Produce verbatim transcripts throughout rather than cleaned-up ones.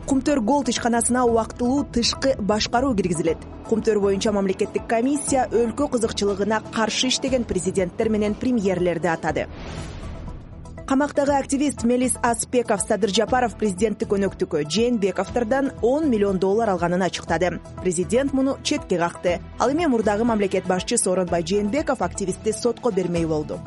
Кумтөр Голд ишканасына убактылуу тышкы башкаруу киргизилет. Кумтөр боюнча мамлекеттик комиссия өлкө кызыкчылыгына каршы иштеген президенттер менен премьерлерди атады. Камактагы активист Мелис Аспеков Садыр Жапаров президенттик өнөктүккө Жээнбековдордон он миллион доллар алганын ачыктады. Президент муну четке какты. Ал эми мурдагы мамлекет башчы Сооронбай Жээнбеков активистти сотко бермей болду.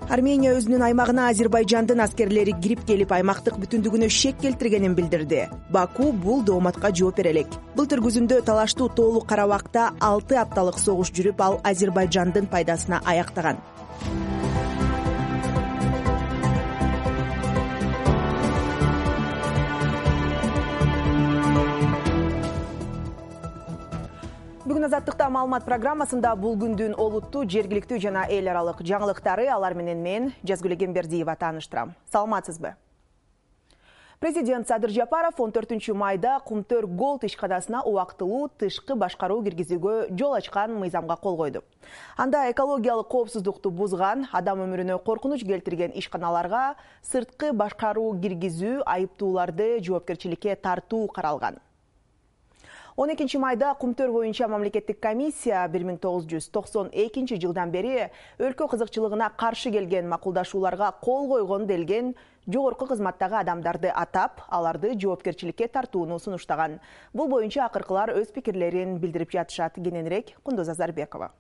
Армения өзүнүн аймагына Азербайжандын аскерлери кирип келип, аймактык бүтүндүгүнө шек келтиргенин билдирди. Баку бул дооматка жооп бере элек. Былтыр күзүндө талаштуу тоолук Карабакта алты апталык согуш жүрүп, ал Азербайжандын пайдасына аяктаган. Бүгүн Азаттыкта маалымат программасында бул күндүн олуттуу, жергиликтүү жана эл аралык жаңылыктары, алар менен мен Жазгүл Эгембердиева тааныштырам. Саламатсызбы? Президент Садыр Жапаров он төртүнчү майда Кумтөр Голд ишканасына убактылуу тышкы башкаруу киргизүүгө жол ачкан мыйзамга кол койду. Анда экологиялык коопсуздукту бузган, адам өмүрүнө коркунуч келтирген ишканаларга сырткы башкаруу киргизүү, айыптууларды жоопкерчиликке тартуу каралган. он экинчи майда Кумтөр боюнча мамлекеттик комиссия бир миң тогуз жүз токсон экинчи жылдан бери өлкө кызыкчылыгына каршы келген макулдашууларга кол койгон делген жогорку кызматтагы адамдарды атап, аларды жоопкерчиликке тартууну сунуштаган. Бул боюнча акыркылар өз пикирлерин билдирип жатышат. Кененирээк Кундуз Азарбекова.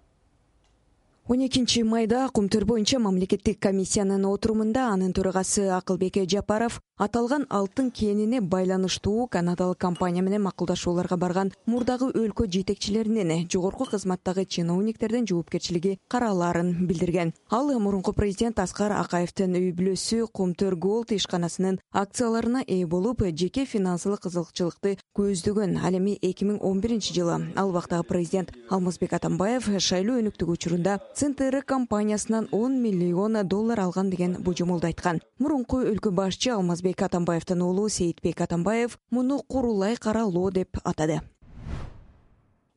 он экинчи майда Кумтөр боюнча мамлекеттик комиссиянын отурумунда анын төрагасы Акылбек Жапаров аталган алтын кенине байланыштуу канадалык компания менен макулдашууларга барган мурдагы өлкө жетекчилеринин жогорку кызматтагы чиновниктердин жоопкерчилиги каралаарын билдирген. Ал мурунку президент Аскар Акаевдин үй бүлөсү Кумтөр Голд ишканасынын акцияларына ээ болуп, жеке финансылык кызыкчылыкты көздөгөн. Ал эми эки миң он биринчи жылы ал убактагы президент Алмазбек Атамбаев шайлоо өнүктүгү учурунда Центр компаниясынан он миллион доллар алган деген божомолду айткан. Мурунку өлкө башчы Алмазбек Атамбаевдин уулу Сейитбек Атамбаев муну курулай каралоо деп атады.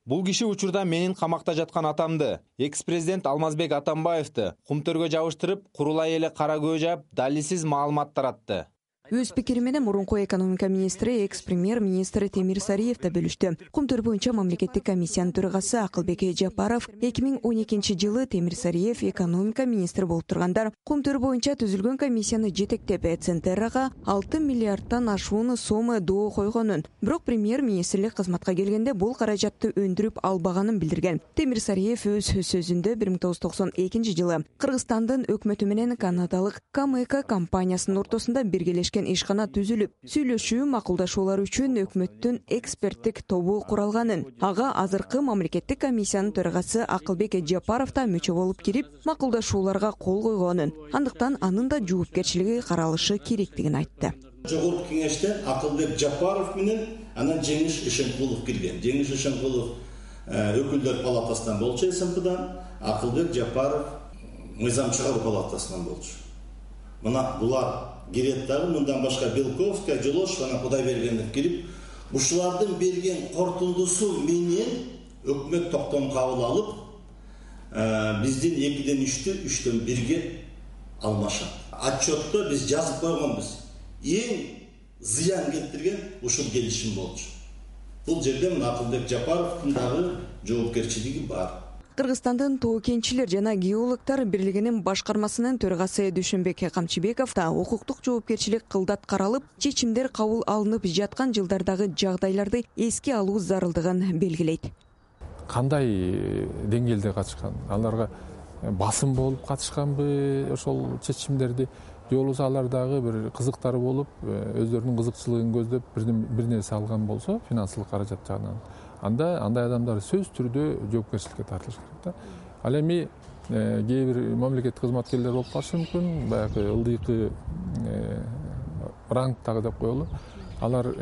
Бул киши учурда менин камакта жаткан атамды, экс-президент Алмазбек Атамбаевди Кумтөргө жабыштырып, курулай эле кара көз жаап, далилсиз маалымат таратты. Өз пикири менен мурунку экономика министри, экс-премьер-министр Темир Сариев да бөлүштү. Кумтөр боюнча мамлекеттик комиссиянын төрагасы Акылбек Жапаров эки миң он экинчи жылы Темир Сариев экономика министри болуп тургандар Кумтөр боюнча түзүлгөн комиссияны жетектеп, Центрага алты миллиардтан ашуун сом доо койгонун, бирок премьер-министрлик кызматка келгенде бул каражатты өндүрүп албаганын билдирген. Темир Сариев өз сөзүндө бир миң тогуз жүз токсон экинчи жылы Кыргызстандын өкмөтү менен канадалык Камэко компаниясынын ортосунда биргелешкен ишкана түзүлүп, сүйлөшүү, макулдашуулар үчүн өкмөттүн эксперттик тобу куралганын, ага азыркы мамлекеттик комиссиянын төрагасы Акылбек Жапаров да мүчө болуп кирип, макулдашууларга кол койгонун, андыктан анын да жоопкерчилиги каралышы керектигин айтты. Жогорку кеңеште Акылбек Жапаров менен анан Жеңиш Ишенкулов кирген. Жеңиш Ишенкулов өкүлдөр палатасынан болчу, СМПдан, Акылбек Жапаров мыйзам чыгаруу палатасынан болчу. Мына булар кирет дагы, мындан башка Белковская, Жолошова, Кудайбергенов кирип, ушулардын берген кортундусу менен өкмөт токтом кабыл алып, биздин экиден үчтү, үчтөн бирге алмашат. Отчетто биз жазып койгонбуз. Эң зыян келтирген ушул келишим болчу. Бул жерде Акылбек Жапаровдун дагы жоопкерчилиги бар. Кыргызстандын Тоо кенчилер жана геологтор бирлигинин башкармасынын төрагасы Дүйшөнбек Камчыбеков да укуктук жоопкерчилик кылдат каралып, чечимдер кабыл алынып жаткан жылдардагы жагдайларды эске алуу зарылдыгын белгилейт. Кандай деңгээлде катышкан? Аларга басым болуп катышканбы ошол чечимдерди? Же болбосо алар дагы бир кызыктары болуп, өздөрүнүн кызыкчылыгын көздөп бир нерсе алган болсо, финансылык каражат жагынан, анда андай адамдар сөз түрдө жоопкерчиликке тартылыш керек да. Ал эми кээ бир мамлекеттик кызматкерлер болуп калышы мүмкүн, баягы ылдыйкы рангтагы деп коелу. Алар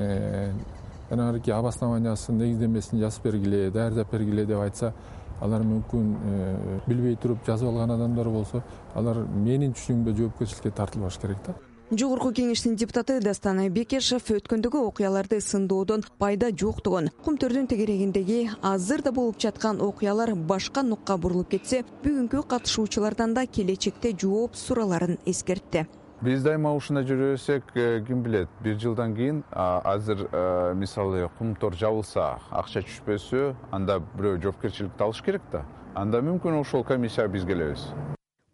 жанагы обоснованиясын, негиздемесин жазып бергиле, даярдап бергиле деп айтса, алар мүмкүн билбей туруп жазып алган адамдар болсо, алар менин түшүнүгүмдө жоопкерчиликке тартылбаш керек да. Жогорку кеңештин депутаты Дастан Бекешев өткөндөгү окуяларды сындоодон пайда жоктугун, Кумтөрдүн тегерегиндеги азыр да болуп жаткан окуялар башка нукка бурулуп кетсе, бүгүнкү катышуучулардан да келечекте жооп суроолорун эскертти. Биз дайыма ушундай жүрөбүзсек, ким билет, бир жылдан кийин азыр мисалы кумтор жабылса, акча түшпөсө, анда бирөө жоопкерчиликти алыш керек да. Анда мүмкүн ошол комиссияга биз келебиз.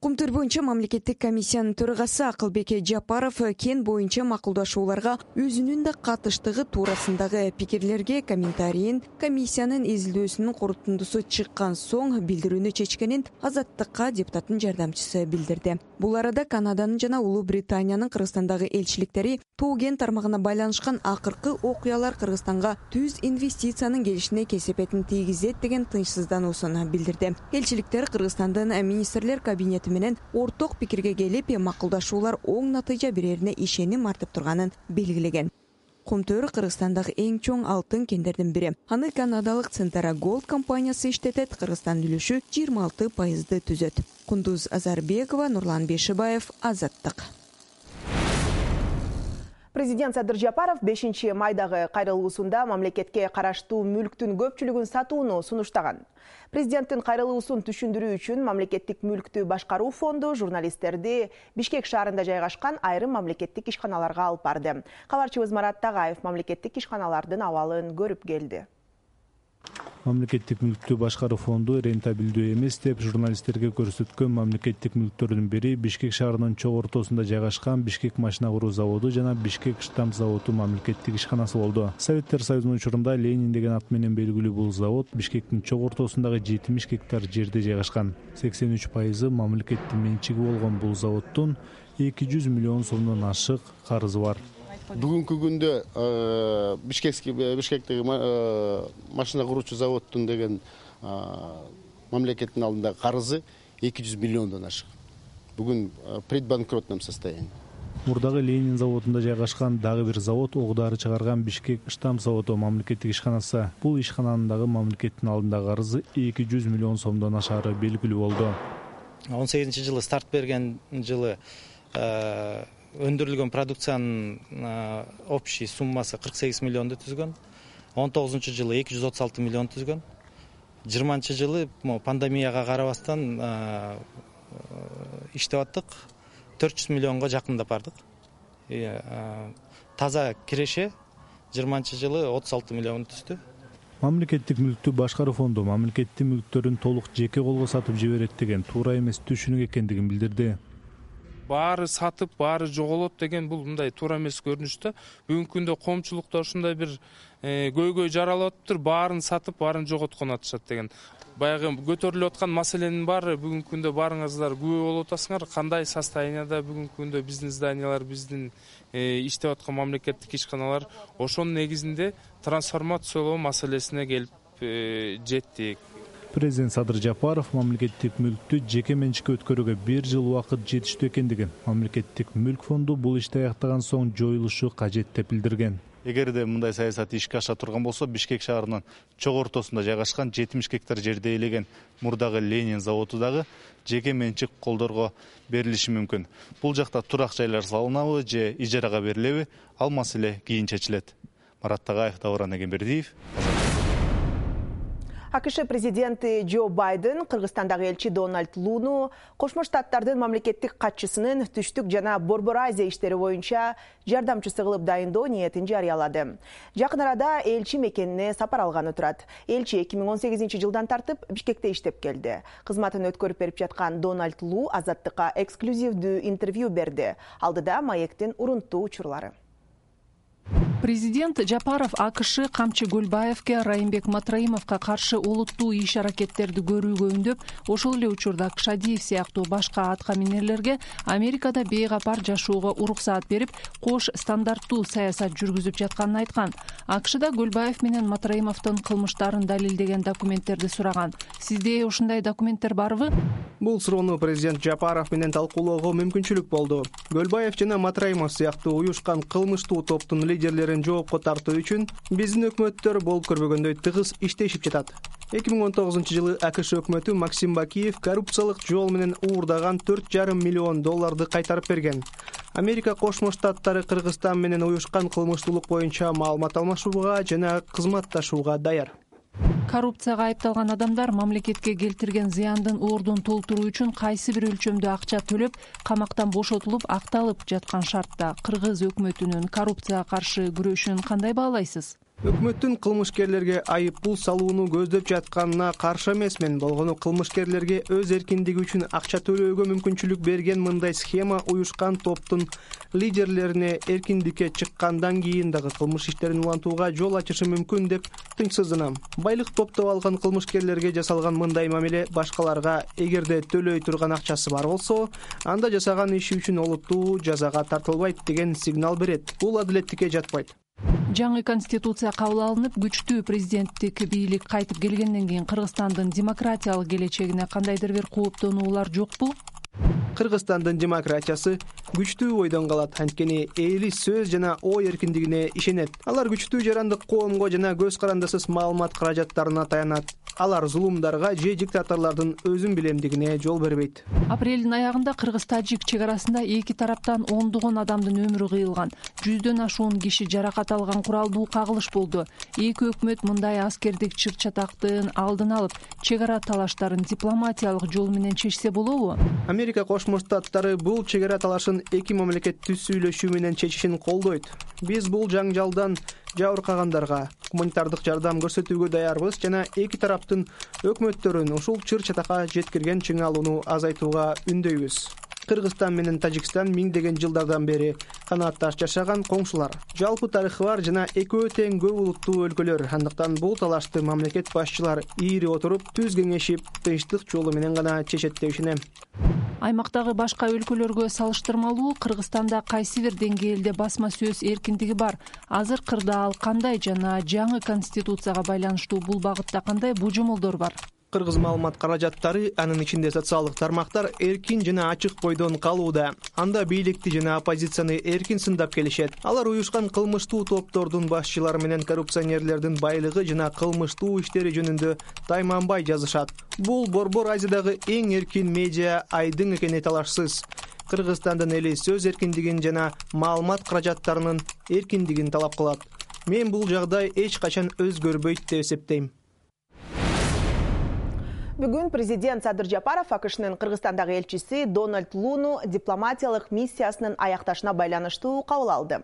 Кумтөр боюнча мамлекеттик комиссиянын төрагасы Акылбек Жапаров кен боюнча макулдашууларга өзүнүн да катыштыгы туурасындагы пикирлерге комментарийин комиссиянын изилдөөсүнүн корутундусу чыккан соң билдирүүнү чечкенин Азаттыкка депутаттын жардамчысы билдирди. Бул арада Канаданын жана Улуу Британиянын Кыргызстандагы элчиликтери тоо кен тармагына байланышкан акыркы окуялар Кыргызстанга түз инвестициянын келишине кесепетин тийгизет деген тынчсыздануусун билдирди. Элчиликтер Кыргызстандын министрлер кабинети менен орток пикирге келип, макулдашуулар оң натыйжа берерине ишеним артып турганын белгилеген. Кумтөр Кыргызстандагы эң чоң алтын кендердин бири. Аны канадалык Центара Голд компаниясы иштетет, Кыргызстандын үлүшү жыйырма алты пайызды түзөт. Кундуз Азарбекова, Нурлан Бешибаев, Азаттык. Президент Садыр Жапаров бешинчи майдагы кайрылуусунда мамлекетке караштуу мүлктүн көпчүлүгүн сатууну сунуштаган. Президенттин кайрылуусун түшүндүрүү үчүн мамлекеттик мүлктү башкаруу фонду журналисттерди Бишкек шаарында жайгашкан айрым мамлекеттик ишканаларга алып барды. Кабарчыбыз Марат Тагаев мамлекеттик ишканалардын абалын көрүп келди. Мамлекеттик мүлктү башкаруу фонду рентабелдүү эмес деп журналисттерге көрсөткөн мамлекеттик мүлктөрдүн бири Бишкек шаарынын чок ортосунда жайгашкан Бишкек машина куруу заводу жана Бишкек штамп заводу мамлекеттик ишканасы болду. Советтер Союзунун учурунда Ленин деген ат менен белгилүү бул завод Бишкектин чок ортосундагы жетимиш гектар жерде жайгашкан. сексен үч пайызы мамлекеттин менчиги болгон бул заводдун эки жүз миллион сомдон ашык карызы бар. Бүгүнкү күндө Бишкекский Бишкектеги машина куруучу заводдун деген мамлекеттин алдындагы карызы эки жүз миллиондон ашык. Бүгүн предбанкротном состоянии. Мурдагы Ленин заводунда жайгашкан дагы бир завод ок дары чыгарган Бишкек штамп заводу мамлекеттик ишканасы. Бул ишкананын дагы мамлекеттин алдындагы карызы эки жүз миллион сомдон ашары белгилүү болду. он сегизинчи жылы старт берген жылы өндүрүлгөн продукциянын общий суммасы кырк сегиз миллионду түзгөн. он тогузунчу жылы эки жүз отуз алты миллион түзгөн. жыйырманчы жылы пандемияга карабастан иштеп аттык. төрт жүз миллионго жакындап бардык. Таза киреше жыйырманчы жылы отуз алты миллион түздү. Мамлекеттик мүлктү башкаруу фонду мамлекеттик мүлктөрүн толук жеке колго сатып жиберет деген туура эмес түшүнүк экендигин билдирди. Баары сатып, баары жоголот деген бул мындай туура эмес көрүнүштө. Бүгүнкү күндө коомчулукта ушундай бир көйгөй жаралып атыптыр, баарын сатып, баарын жоготкон атышат деген. Баягы көтөрүлүп аткан маселенин баары бүгүнкү күндө барыңыздар күбө болуп атасыңар. Кандай состоянияда бүгүнкү күндө биздин зданиялар, биздин иштеп аткан мамлекеттик ишканалар, ошонун негизинде трансформациялоо маселесине келип жеттик. Президент Садыр Жапаров мамлекеттик мүлктү жеке менчикке өткөрүүгө бир жыл убакыт жетиштүү экендигин, мамлекеттик мүлк фонду бул ишти аяктаган соң жоюлушу кажет деп билдирген. Эгерде мындай саясат ишке аша турган болсо, Бишкек шаарынын чок ортосунда жайгашкан жетимиш гектар жерде ээлеген мурдагы Ленин заводу дагы жеке менчик колдорго берилиши мүмкүн. Бул жакта турак жайлар салынабы же ижарага берилеби, ал маселе кийин чечилет. Марат Тагаев, Дауран Эгембердиев. АКШ президенти Джо Байден Кыргызстандагы элчи Дональд Луну Кошмо Штаттардын мамлекеттик катчысынын түштүк жана Борбор Азия иштери боюнча жардамчысы кылып дайындоо ниетин жарыялады. Жакын арада элчи мекенине сапар алганы турат. Элчи эки миң он сегизинчи жылдан тартып Бишкекте иштеп келди. Кызматын өткөрүп берип жаткан Дональд Лу Азаттыкка эксклюзивдүү интервью берди. Алдыда маектин урунттуу учурлары. Президент Жапаров АКШ камчы Гөлбаевке, Райымбек Матраимовго каршы олуттуу иш-аракеттерди көрүүгө үндөп, ошол эле учурда Кшадиев сыяктуу башка аткаминерлерге Америкада бейгапар жашоого уруксаат берип, кош стандарттуу саясат жүргүзүп жатканын айткан. АКШда Гөлбаев менен Матраимовдун кылмыштарын далилдеген документтерди сураган. Сизде ушундай документтер барбы? Бул суроону президент Жапаров менен талкуулоого мүмкүнчүлүк болду. Гөлбаев жана Матраимов сыяктуу уюшкан кылмыштуу топтун лидерлерин жоопко тартуу үчүн биздин өкмөттөр болуп көрбөгөндөй тыгыз иштешип жатат. эки миң он тогузунчу жылы АКШ өкмөтү Максим Бакиев коррупциялык жол менен уурдаган төрт жарым миллион долларды кайтарып берген. Америка Кошмо Штаттары Кыргызстан менен уюшкан кылмыштуулук боюнча маалымат алмашууга жана кызматташууга даяр. Коррупцияга айыпталган адамдар мамлекетке келтирген зыяндын ордун толтуруу үчүн кайсы бир өлчөмдө акча төлөп, камактан бошотулуп, акталып жаткан шартта кыргыз өкмөтүнүн коррупцияга каршы күрөшүн кандай баалайсыз? Өкмөттүн кылмышкерлерге айып пул салууну көздөп жатканына каршы эмесмин. Болгону кылмышкерлерге өз эркиндиги үчүн акча төлөөгө мүмкүнчүлүк берген мындай схема уюшкан топтун лидерлерине эркиндикке чыккандан кийин дагы кылмыш иштерин улантууга жол ачышы мүмкүн деп тынчсызданам. Байлык топтоп алган кылмышкерлерге жасалган мындай мамиле башкаларга эгерде төлөй турган акчасы бар болсо, анда жасаган иши үчүн олуттуу жазага тартылбайт деген сигнал берет. Бул адилеттикке жатпайт. Жаңы конституция кабыл алынып, күчтүү президенттик бийлик кайтып келгенден кийин Кыргызстандын демократиялык келечегине кандайдыр бир кооптонуулар жокпу? Кыргызстандын демократиясы күчтүү бойдон калат, анткени эли сөз жана ой эркиндигине ишенет. Алар күчтүү жарандык коомго жана көз карандысыз маалымат каражаттарына таянат. Алар зулумдарга же диктаторлордун өзүн билемдигине жол бербейт. Апрелдин аягында Кыргыз-Тажик чек арасында эки тараптан ондогон адамдын өмүрү кыйылган, жүздөн ашуун киши жаракат алган куралдуу кагылыш болду. Эки өкмөт мындай аскердик чыр-чатактын алдын алып, чек ара талаштарын дипломатиялык жол менен чечсе болобу? Америка Кошмо Штаттары бул чек ара талашын эки мамлекет түз сүйлөшүү менен чечишин колдойт. Биз бул жаңжалдан жабыркагандарга гуманитардык жардам көрсөтүүгө даярбыз жана эки тараптын өкмөттөрүн ушул чыр-чатакка жеткирген чыңалууну азайтууга үндөйбүз. Кыргызстан менен Тажикстан миңдеген жылдардан бери канаатташ жашаган коңшулар. Жалпы тарыхы бар жана экөө тең көп улуттуу өлкөлөр. Андыктан бул талашты мамлекет башчылары ийри отуруп, түз кеңешип, тынчтык жолу менен гана чечет деп ишенем. Аймактагы башка өлкөлөргө салыштырмалуу Кыргызстанда кайсы бир деңгээлде басма сөз эркиндиги бар? Азыр кырда ал кандай жана жаңы конституцияга байланыштуу бул багытта кандай божомолдор бар? Кыргыз маалымат каражаттары, анын ичинде социалдык тармактар эркин жана ачык бойдон калууда. Анда бийликти жана оппозицияны эркин сындап келишет. Алар уюшкан кылмыштуу топтордун башчылары менен коррупционерлердин байлыгы жана кылмыштуу иштери жөнүндө тайманбай жазышат. Бул Борбор Азиядагы эң эркин медиа айдың экени талашсыз. Кыргызстандын эли сөз эркиндигин жана маалымат каражаттарынын эркиндигин талап кылат. Мен бул жагдай эч качан өзгөрбөйт деп эсептейм. Бүгүн президент Садыр Жапаров АКШнын Кыргызстандагы элчиси Дональд Луну дипломатиялык миссиясынын аякташына байланыштуу кабыл алды.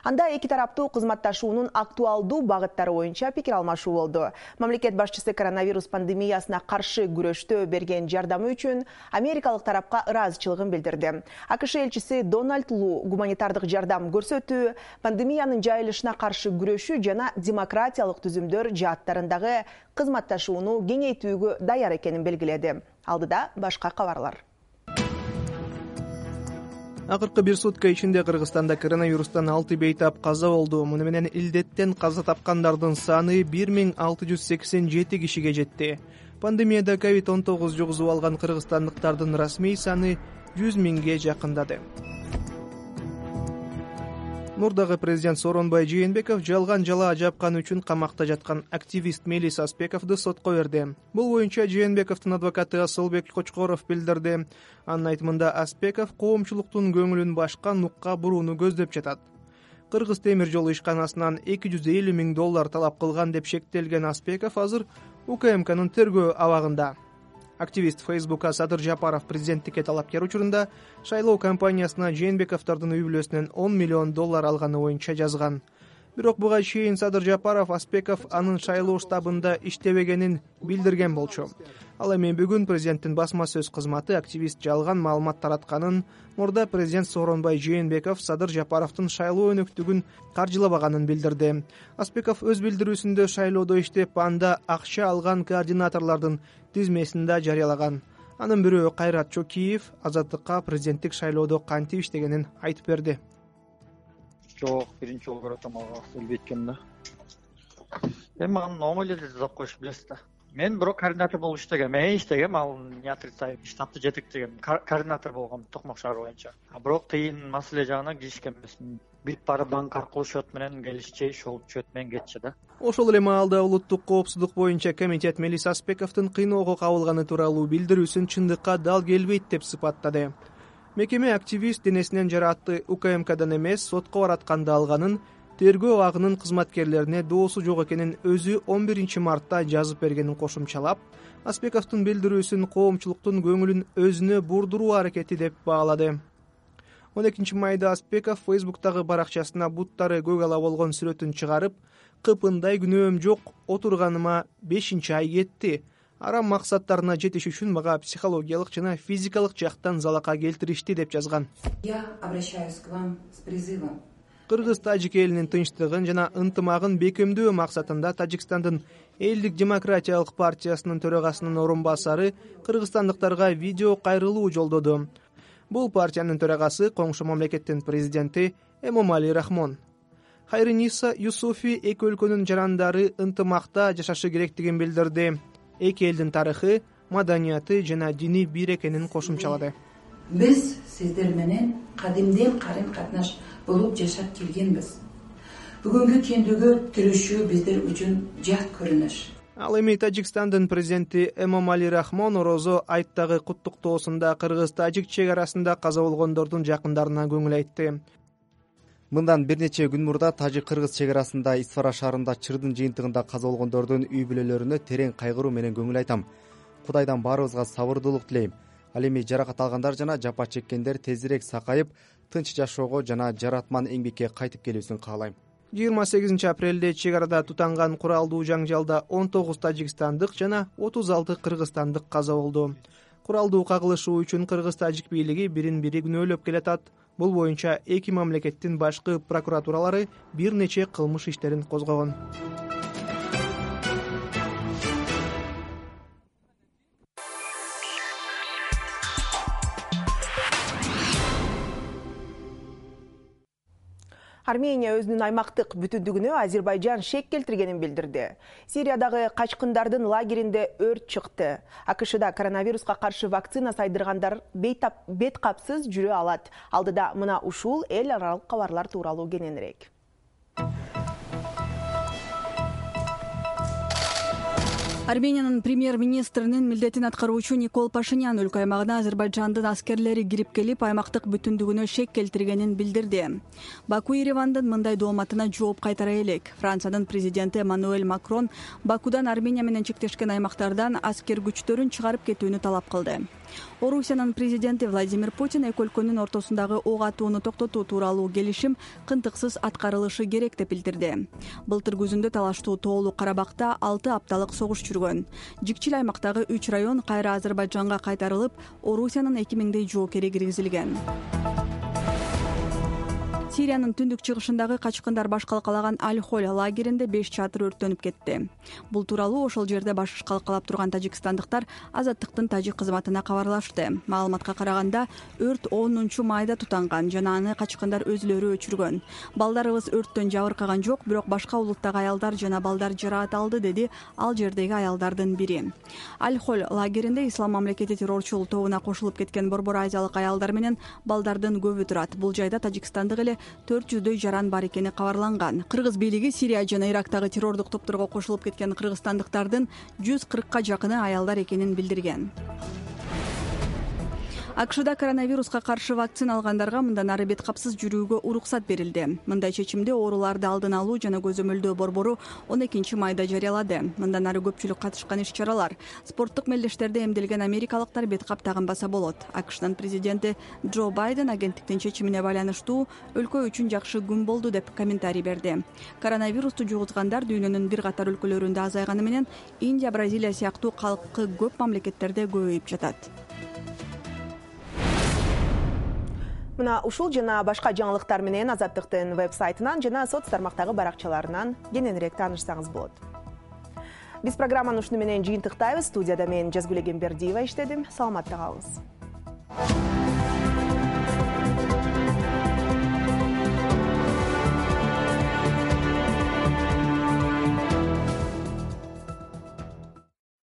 Анда эки тараптуу кызматташуунун актуалдуу багыттары боюнча пикир алмашуу болду. Мамлекет башчысы коронавирус пандемиясына каршы күрөштө берген жардамы үчүн америкалык тарапка ыраазычылыгын билдирди. АКШ элчиси Дональд Лу гуманитардык жардам көрсөтүү, пандемиянын жайылышына каршы күрөшүү жана демократиялык түзүмдөр жааттарындагы кызматташууну кеңейтүүгө даяр экенин белгиледи. Алдыда башка кабарлар. Акыркы бир сутка ичинде Кыргызстанда коронавирустан алты бейтап каза болду. Муну менен илдеттен каза тапкандардын саны бир миң алты жүз сексен жети кишиге жетти. Пандемияда ковид он тогуз жугузуп алган кыргызстандыктардын расмий саны жүз миңге жакындады. Мурдагы президент Сооронбай Жээнбеков жалган жалаа жапкан үчүн камакта жаткан активист Мелис Аспековду сотко берди. Бул боюнча Жээнбековдун адвокаты Асылбек Кочкоров билдирди. Анын айтымында Аспеков коомчулуктун көңүлүн башка нукка бурууну көздөп жатат. Кыргыз темир жол ишканасынан эки жүз элүү миң доллар талап кылган деп шектелген Аспеков азыр УКМКнын тергөө абагында. Активист Фейсбукка Садыр Жапаров президенттикке талапкер учурунда шайлоо кампаниясына Жээнбековдордун үй бүлөсүнөн он миллион доллар алганы боюнча жазган. Бирок буга чейин Садыр Жапаров Аспеков анын шайлоо штабында иштебегенин билдирген болчу. Ал эми бүгүн президенттин басма сөз кызматы активист жалган маалымат таратканын, мурда президент Сооронбай Жээнбеков Садыр Жапаровдун шайлоо өнөктүгүн каржылабаганын билдирди. Аспеков өз билдирүүсүндө шайлоодо иштеп, анда акча алган координаторлордун тизмесин да жарыялаган. Анын бирөө Кайрат Чокиев Азаттыкка президенттик шайлоодо кантип иштегенин айтып берди. Жок, биринчи жолу көрөт амалга билбейт экенмин да. Эми анын оңой эле деп коюш билесиз да. Мен бирок координатор болуп иштегем, мен иштегем, ал не отрицаю, штабты жетектегем, координатор болгом Токмок шаар боюнча. А бирок тыйын маселе жагына киришкен эмесмин. Бит бара банк аркылуу счет менен келишчи, ошол счет менен кетчи да. Ошол эле маалда улуттук коопсуздук боюнча комитет Мелис Аспековдун кыйноого кабылганы тууралуу билдирүүсүн чындыкка дал келбейт деп сыпаттады. Мекеме активист денесинен жараатты УКМКдан эмес, сотко баратканда алганын, тергөө агынын кызматкерлерине доосу жок экенин өзү он биринчи мартта жазып бергенин кошумчалап, Аспековдун билдирүүсүн коомчулуктун көңүлүн өзүнө бурдуруу аракети деп баалады. он экинчи майда Аспеков Фейсбуктагы баракчасына буттары көк ала болгон сүрөтүн чыгарып, кыпындай күнөөм жок, отурганыма бешинчи ай кетти. Арам максаттарына жетиш үчүн мага психологиялык жана физикалык жактан залака келтиришти деп жазган. Я обращаюсь к вам с призывом. Кыргыз-тажик элинин тынчтыгын жана ынтымагын бекемдөө максатында Тажикстандын Элдик демократиялык партиясынын төрагасынын орун басары кыргызстандыктарга видео кайрылуу жолдоду. Бул партиянын төрагасы коңшу мамлекеттин президенти Эмомали Рахмон. Хайрыниса Юсуфи эки өлкөнүн жарандары ынтымакта жашашы керектигин билдирди. Эки элдин тарыхы, маданияты жана дини бир экенин кошумчалады. Биз сиздер менен кадимден карын катнаш болуп жашап келгенбиз. Бүгүнкү кендүүгө тиришүү биздер үчүн жат көрүнүш. Ал эми Тажикстандын президенти Эмомали Рахмон Орозо айттагы куттуктоосунда кыргыз-тажик чек арасында каза болгондордун жакындарына көңүл айтты. Мындан бир нече күн мурда тажик-кыргыз чек арасында Исфара шаарында чырдын жыйынтыгында каза болгондордун үй бүлөлөрүнө терең кайгыруу менен көңүл айтам. Кудайдан баарыбызга сабырдуулук тилейм. Ал эми жаракат алгандар жана жапа чеккендер тезирээк сакайып, тынч жашоого жана жаратман эмгекке кайтып келүүсүн каалайм. жыйырма сегизинчи апрелде чек арада тутанган куралдуу жаңжалда он тогуз тажикстандык жана отуз алты кыргызстандык каза болду. Куралдуу кагылышуу үчүн кыргыз-тажик бийлиги бирин бири күнөөлөп келатат. Бул боюнча эки мамлекеттин башкы прокуратуралары бир нече кылмыш иштерин козгогон. Армения өзүнүн аймактык бүтүндүгүнө Азербайжан шек келтиргенин билдирди. Сириядагы качкындардын лагеринде өрт чыкты. АКШда коронавируска каршы вакцина сайдыргандар бет капсыз жүрө алат. Алдыда мына ушул эл аралык кабарлар тууралуу кененирээк. Армениянын премьер-министринин милдетин аткаруучу Никол Пашинян өлкө аймагына Азербайжандын аскерлери кирип келип, аймактык бүтүндүгүнө шек келтиргенин билдирди. Баку Еревандын мындай дооматына жооп кайтара элек. Франциянын президенти Эммануэль Макрон Бакудан Армения менен чектешкен аймактардан аскер күчтөрүн чыгарып кетүүнү талап кылды. Орусиянын президенти Владимир Путин эки өлкөнүн ортосундагы ок атууну токтотуу тууралуу келишим кынтыксыз аткарылышы керек деп билдирди. Былтыр күзүндө талаштуу тоолуу Карабакта алты апталык согуш жүргөн. Жикчил аймактагы үч район кайра Азербайжанга кайтарылып, Орусиянын эки миңдей жоокери киргизилген. Сириянын түндүк чыгышындагы качкындар баш калкалаган Аль-Холь лагеринде беш чатыр өрттөнүп кетти. Бул тууралуу ошол жерде баш калкалап турган тажикстандыктар Азаттыктын тажик кызматына кабарлашты. Маалыматка караганда, өрт онунчу майда тутанган жана аны качкындар өзүлөрү өчүргөн. Балдарыбыз өрттөн жабыркаган жок, бирок башка улуттагы аялдар жана балдар жараат алды, деди ал жердеги аялдардын бири. Аль-Холь лагеринде Ислам мамлекети террорчул тобуна кошулуп кеткен борбор азиялык аялдар менен балдардын көбү турат. Бул жайда тажикстандык эле төрт жүздөй жаран бар экени кабарланган. Кыргыз бийлиги Сирия жана Ирактагы террордук топторго кошулуп кеткен кыргызстандыктардын жүз кыркка жакыны аялдар экенин билдирген. АКШда коронавируска каршы вакцина алгандарга мындан ары бет капсыз жүрүүгө уруксат берилди. Мындай чечимди ооруларды алдын алуу жана көзөмөлдөө борбору он экинчи майда жарыялады. Мындан ары көпчүлүк катышкан иш-чаралар, спорттук мелдештерде эмделген америкалыктар бет кап тагынбаса болот. АКШдын президенти Джо Байден агенттиктин чечимине байланыштуу өлкө үчүн жакшы күн болду деп комментарий берди. Коронавирусту жугузгандар дүйнөнүн бир катар өлкөлөрүндө азайганы менен Индия, Бразилия сыяктуу калкы көп мамлекеттерде көбөйүп жатат. Мына ушул жана башка жаңылыктар менен Азаттыктын веб-сайтынан жана соц тармактагы баракчаларынан кененирээк таанышсаңыз болот. Биз программаны ушуну менен жыйынтыктайбыз. Студияда мен Жазгүл Эгембердиева иштедим. Саламатта калыңыз.